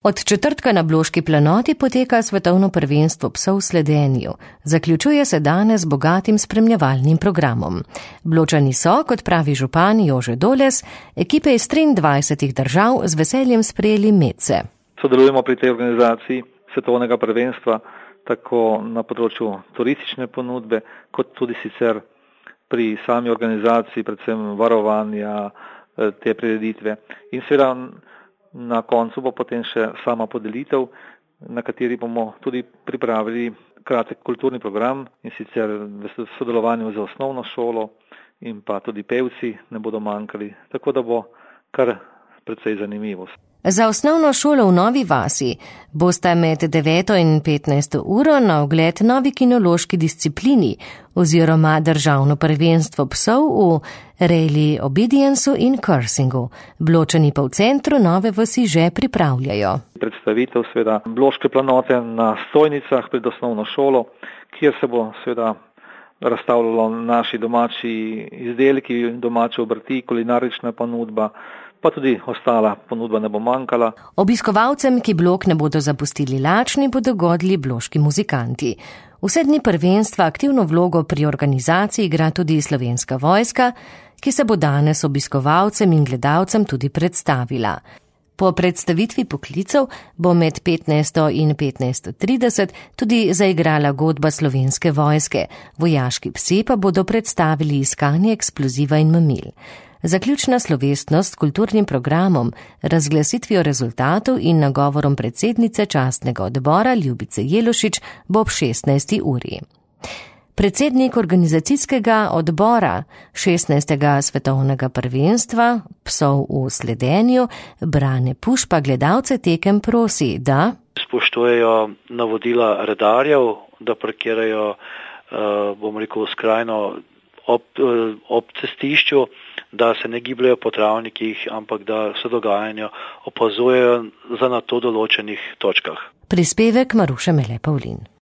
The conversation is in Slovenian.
Od četrtka na Bloški planoti poteka svetovno prvenstvo psov v sledenju. Zaključuje se danes z bogatim spremljevalnim programom. Bločani so, kot pravi župan Jože Doles, ekipe iz 23 držav z veseljem sprejeli medse. Sodelujemo pri tej organizaciji svetovnega prvenstva tako na področju turistične ponudbe, kot tudi sicer pri sami organizaciji, predvsem varovanja te prireditve. In seveda na koncu bo potem še sama podelitev, na kateri bomo tudi pripravili kratek kulturni program in sicer v sodelovanju z osnovno šolo in pa tudi pevci ne bodo manjkali, tako da bo kar precej zanimivo. Za osnovno šolo v Novi vasi bosta med 9. in 15. uro na ogled novi kinološki disciplini oziroma državno prvenstvo psov v Rally Obediencu in Cursingu. Bločani pa v centru Nove vasi že pripravljajo. Predstavitev seveda Bloške planote na stojnicah pred osnovno šolo, kjer se bo seveda razstavljalo naši domači izdelki, domače obrti, kulinarična ponudba, pa tudi ostala ponudba ne bo manjkala. Obiskovalcem, ki blok ne bodo zapustili lačni, bodo godili bloški muzikanti. Vse dni prvenstva aktivno vlogo pri organizaciji igra tudi Slovenska vojska, ki se bo danes obiskovalcem in gledalcem tudi predstavila. Po predstavitvi poklicev bo med 15. in 15.30 tudi zaigrala godba Slovenske vojske. Vojaški psi pa bodo predstavili iskanje eksploziva in mamil. Zaključna slovesnost s kulturnim programom, razglasitvijo rezultatov in nagovorom predsednice častnega odbora Ljubice Jelušič bo ob 16. uri. Predsednik organizacijskega odbora 16. svetovnega prvenstva psov v sledenju Brane Puš pa gledalce tekem prosi, da spoštujejo navodila redarjev, da parkirajo, skrajno ob cestišču, da se ne gibljajo po travnikih, ampak da se dogajanje opazujejo za na to določenih točkah. Prispevek Maruše Mele Pavlin.